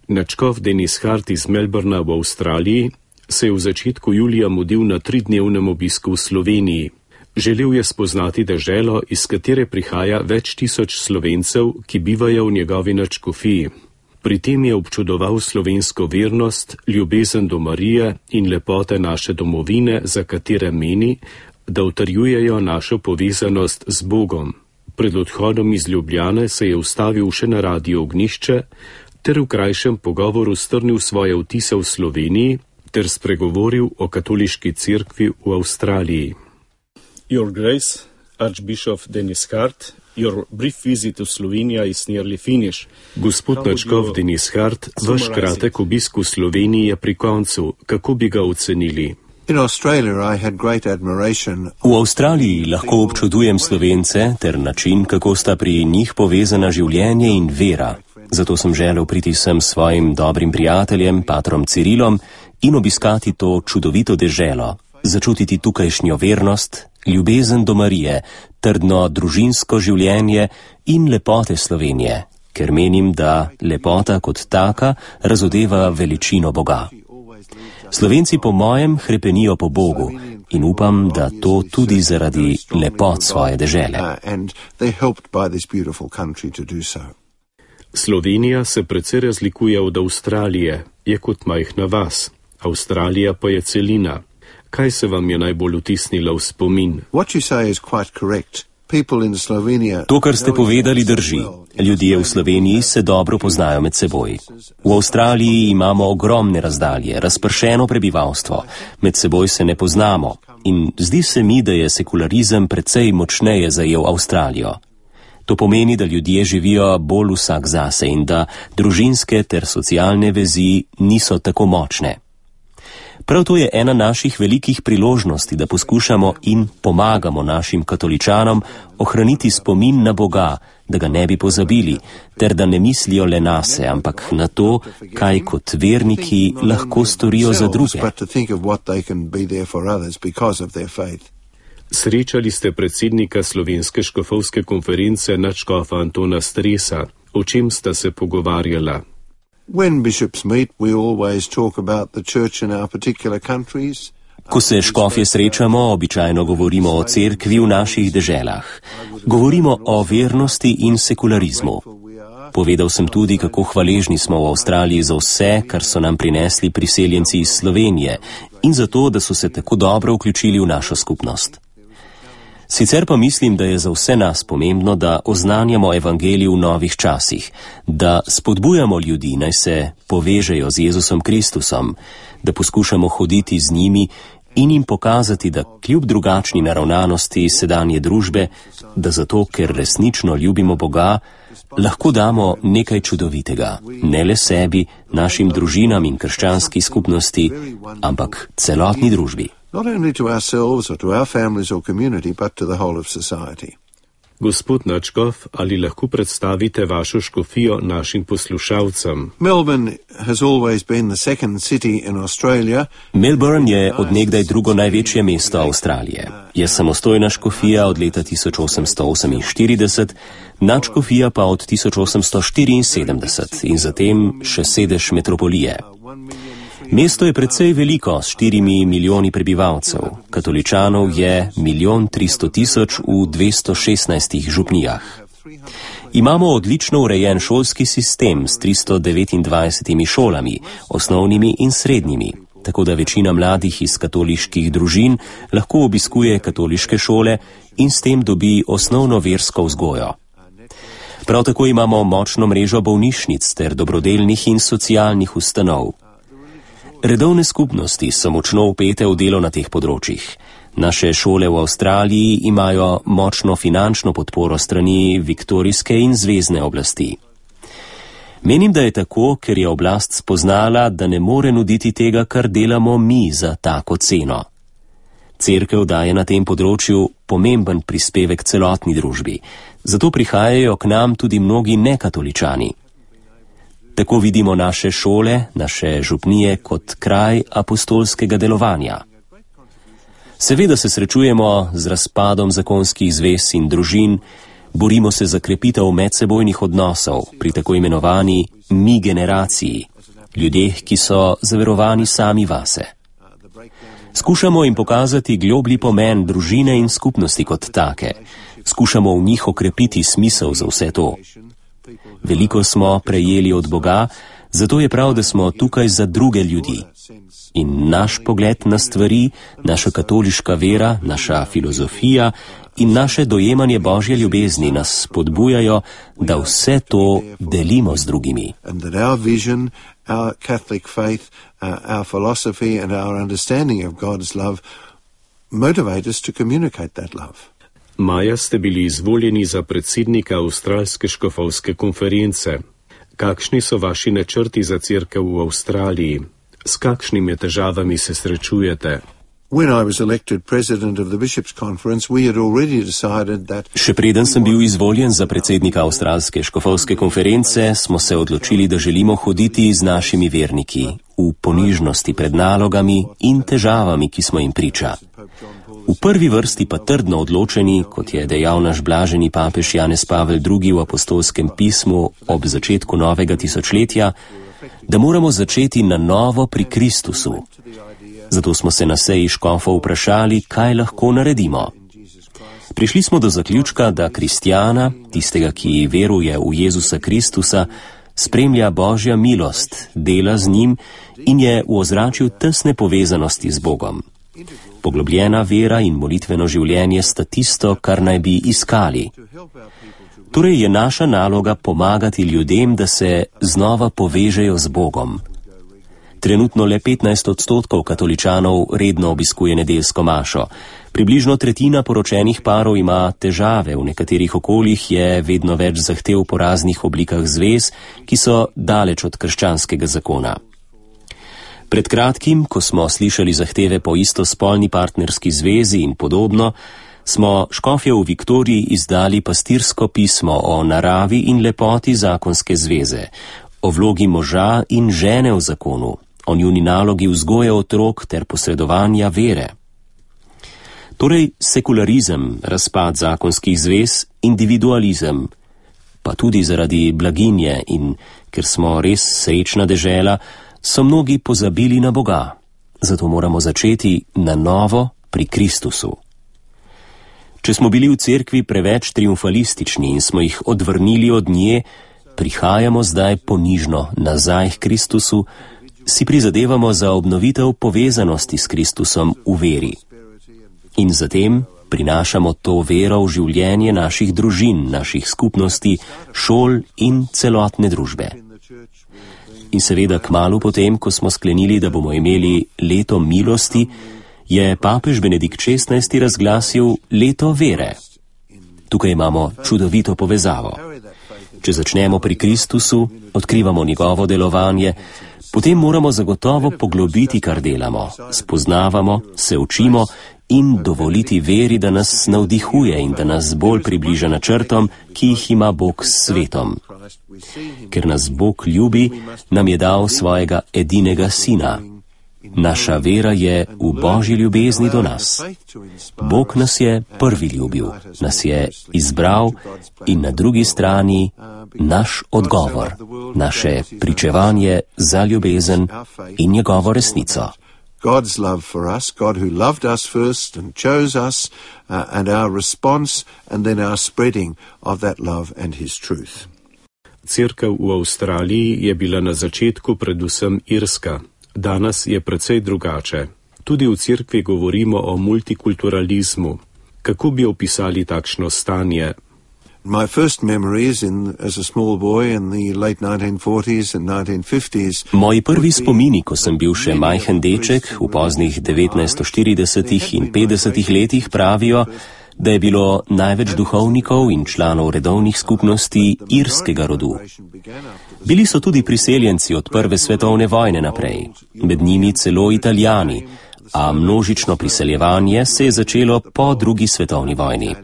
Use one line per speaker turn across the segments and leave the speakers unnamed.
Nadškof Denis Hart iz Melbourna v Avstraliji se je v začetku julija mudil na 3-dnevnem obisku v Sloveniji. Želel je spoznati deželo, iz katere prihaja več tisoč Slovencev, ki bivajo v njegovi nadškofiji. Pri tem je občudoval slovensko vernost, ljubezen do Marije in lepote naše domovine, za katere meni, da utrjujejo našo povezanost z Bogom. Pred odhodom iz Ljubljane se je ustavil še na Radio Ognjišče ter v krajšem pogovoru strnil svoje vtise v Sloveniji ter spregovoril o katoliški cerkvi v Avstraliji. Your Grace, Archbishop Denis Hart, your brief visit to Slovenia is nearly finished. Gospod nadškof Denis Hart, vaš kratek obisk v Sloveniji je pri koncu. Kako bi ga ocenili?
V Avstraliji lahko občudujem Slovence ter način, kako sta pri njih povezana življenje in vera. Zato sem želel priti sem s svojim dobrim prijateljem, patrom Cirilom, in obiskati to čudovito deželo, začutiti tukajšnjo vernost, ljubezen do Marije, trdno družinsko življenje in lepote Slovenije, ker menim, da lepota kot taka razodeva veličino Boga. Slovenci po mojem hrepenijo po Bogu in upam, da to tudi zaradi lepot svoje dežele.
Slovenija se precej razlikuje od Avstralije, je kot majhna vas. Avstralija pa je celina. Kaj se vam je najbolj vtisnilo v spomin?
To, kar ste povedali, drži. Ljudje v Sloveniji se dobro poznajo med seboj. V Avstraliji imamo ogromne razdalje, razpršeno prebivalstvo. Med seboj se ne poznamo in zdi se mi, da je sekularizem precej močneje zajel Avstralijo. To pomeni, da ljudje živijo bolj vsak zase in da družinske ter socialne vezi niso tako močne. Prav to je ena naših velikih priložnosti, da poskušamo in pomagamo našim katoličanom ohraniti spomin na Boga, da ga ne bi pozabili, ter da ne mislijo le nase, ampak na to, kaj kot verniki lahko storijo za druge.
Srečali ste predsednika Slovenske škofovske konference nadškofa Antona Stresa. O čem sta se pogovarjala?
Ko se škofje srečamo, običajno govorimo o cerkvi v naših deželah. Govorimo o vernosti in sekularizmu. Povedal sem tudi, kako hvaležni smo v Avstraliji za vse, kar so nam prinesli priseljenci iz Slovenije in za to, da so se tako dobro vključili v našo skupnost. Sicer pa mislim, da je za vse nas pomembno, da oznanjamo evangelij v novih časih, da spodbujamo ljudi, naj se povežejo z Jezusom Kristusom, da poskušamo hoditi z njimi in jim pokazati, da kljub drugačni naravnanosti sedanje družbe, da zato, ker resnično ljubimo Boga, lahko damo nekaj čudovitega, ne le sebi, našim družinam in krščanski skupnosti, ampak celotni družbi.
Not only to ourselves or to our families or community, but to the whole of society.
Gospod nadškof, ali lahko predstavite vašo škofijo našim poslušalcem?
Melbourne has always been the second city in Australia.
Melbourne je od nekdaj drugo največje mesto Avstralije. Je samostojna škofija od leta 1848, nadškofija pa od 1874 in zatem še sedež metropolije. Mesto je precej veliko, s 4 milijoni prebivalcev. Katoličanov je 1 300 000 v 216 župnijah. Imamo odlično urejen šolski sistem s 329 šolami, osnovnimi in srednjimi, tako da večina mladih iz katoliških družin lahko obiskuje katoliške šole in s tem dobi osnovno versko vzgojo. Prav tako imamo močno mrežo bolnišnic ter dobrodelnih in socialnih ustanov. Redovne skupnosti so močno vpete v delo na teh področjih. Naše šole v Avstraliji imajo močno finančno podporo strani viktorijske in zvezne oblasti. Menim, da je tako, ker je oblast spoznala, da ne more nuditi tega, kar delamo mi za tako ceno. Cerkev daje na tem področju pomemben prispevek celotni družbi, zato prihajajo k nam tudi mnogi nekatoličani. Tako vidimo naše šole, naše župnije kot kraj apostolskega delovanja. Seveda se srečujemo z razpadom zakonskih zvez in družin, borimo se za krepitev medsebojnih odnosov pri tako imenovani mi generaciji, ljudeh, ki so zaverovani sami vase. Skušamo jim pokazati globlji pomen družine in skupnosti kot take. Skušamo v njih okrepiti smisel za vse to. Veliko smo prejeli od Boga, zato je prav, da smo tukaj za druge ljudi. In naš pogled na stvari, naša katoliška vera, naša filozofija in naše dojemanje Božje ljubezni nas spodbujajo, da vse to delimo z drugimi.
Our Catholic faith, our philosophy and our understanding of God's love motivate us to communicate that love.
Maja ste bili izvoljeni za predsednika Avstralske škofovske konference. Kakšni so vaši načrti za cerkev v Avstraliji? S kakšnimi težavami se srečujete?
Še preden sem bil izvoljen za predsednika Avstralske škofovske konference, smo se odločili, da želimo hoditi z našimi verniki v ponižnosti pred nalogami in težavami, ki smo jim priča. V prvi vrsti pa trdno odločeni, kot je dejal naš blaženi papež Janez Pavel II v apostolskem pismu ob začetku novega tisočletja, da moramo začeti na novo pri Kristusu. Zato smo se na seji škofov vprašali, kaj lahko naredimo. Prišli smo do zaključka, da kristjana, tistega, ki veruje v Jezusa Kristusa, spremlja Božja milost, dela z njim in je v ozračju tesne povezanosti z Bogom. Poglobljena vera in molitveno življenje sta tisto, kar naj bi iskali. Torej je naša naloga pomagati ljudem, da se znova povežejo z Bogom. Trenutno le 15% katoličanov redno obiskuje nedeljsko mašo. Približno tretjina poročenih parov ima težave, v nekaterih okoljih je vedno več zahtev po raznih oblikah zvez, ki so daleč od krščanskega zakona. Pred kratkim, ko smo slišali zahteve po istospolni partnerski zvezi in podobno, smo škofje v Viktoriji izdali pastirsko pismo o naravi in lepoti zakonske zveze, o vlogi moža in žene v zakonu, o njuni nalogi vzgoje otrok ter posredovanja vere. Torej sekularizem, razpad zakonskih zvez, individualizem, pa tudi zaradi blaginje in ker smo res srečna dežela, so mnogi pozabili na Boga. Zato moramo začeti na novo pri Kristusu. Če smo bili v cerkvi preveč triumfalistični in smo jih odvrnili od nje, prihajamo zdaj ponižno nazaj k Kristusu, si prizadevamo za obnovitev povezanosti s Kristusom v veri. In zatem prinašamo to vero v življenje naših družin, naših skupnosti, šol in celotne družbe. In seveda kmalu potem, ko smo sklenili, da bomo imeli leto milosti, je papež Benedikt XVI razglasil leto vere. Tukaj imamo čudovito povezavo. Če začnemo pri Kristusu, odkrivamo njegovo delovanje, potem moramo zagotovo poglobiti, kar delamo, spoznavamo, se učimo in dovoliti veri, da nas navdihuje in da nas bolj približa načrtom, ki jih ima Bog s svetom. Ker nas Bog ljubi, nam je dal svojega edinega sina. Naša vera je v Božji ljubezni do nas. Bog nas je prvi ljubil, nas je izbral in na drugi strani naš odgovor, naše pričevanje za ljubezen in njegovo resnico.
God's love for us, God who loved us first and chose us, and our response and then our spreading of that love and his truth.
Cerkev v Avstraliji je bila na začetku predvsem irska. Danes je precej drugače. Tudi v cerkvi govorimo o multikulturalizmu. Kako bi opisali takšno stanje?
My first memories as a small boy in the late 1940s and 1950s.
Moji prvi spomini, ko sem bil še majhen deček v poznih 1940 in 50 letih, pravijo, da je bilo največ duhovnikov in članov redovnih skupnosti irskega rodu. Bili so tudi priseljenci od prve svetovne vojne naprej, med njimi celo Italijani, a množično priseljevanje se je začelo po drugi svetovni vojni.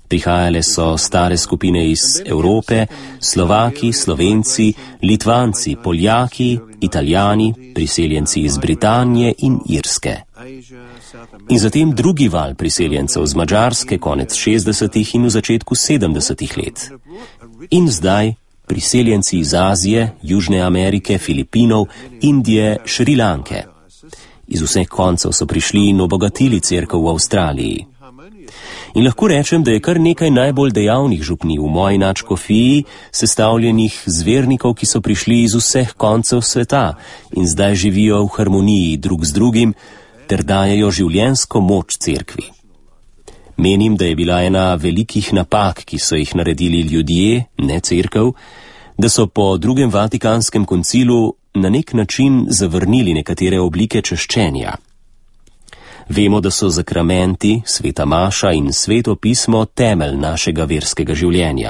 Prihajale so stare skupine iz Evrope, Slovaki, Slovenci, Litvanci, Poljaki, Italijani, priseljenci iz Britanije in Irske. In zatem drugi val priseljencev z Madžarske konec 60. in v začetku 70. let. In zdaj priseljenci iz Azije, Južne Amerike, Filipinov, Indije, Šrilanke. Iz vseh koncev so prišli in obogatili cerkev v Avstraliji. In lahko rečem, da je kar nekaj najbolj dejavnih župnij v moji nadškofiji, sestavljenih z vernikov, ki so prišli iz vseh koncev sveta in zdaj živijo v harmoniji drug z drugim ter dajejo življenjsko moč cerkvi. Menim, da je bila ena velikih napak, ki so jih naredili ljudje, ne cerkev, da so po drugem Vatikanskem koncilu na nek način zavrnili nekatere oblike češčenja. Vemo, da so zakramenti, sveta maša in sveto pismo temelj našega verskega življenja.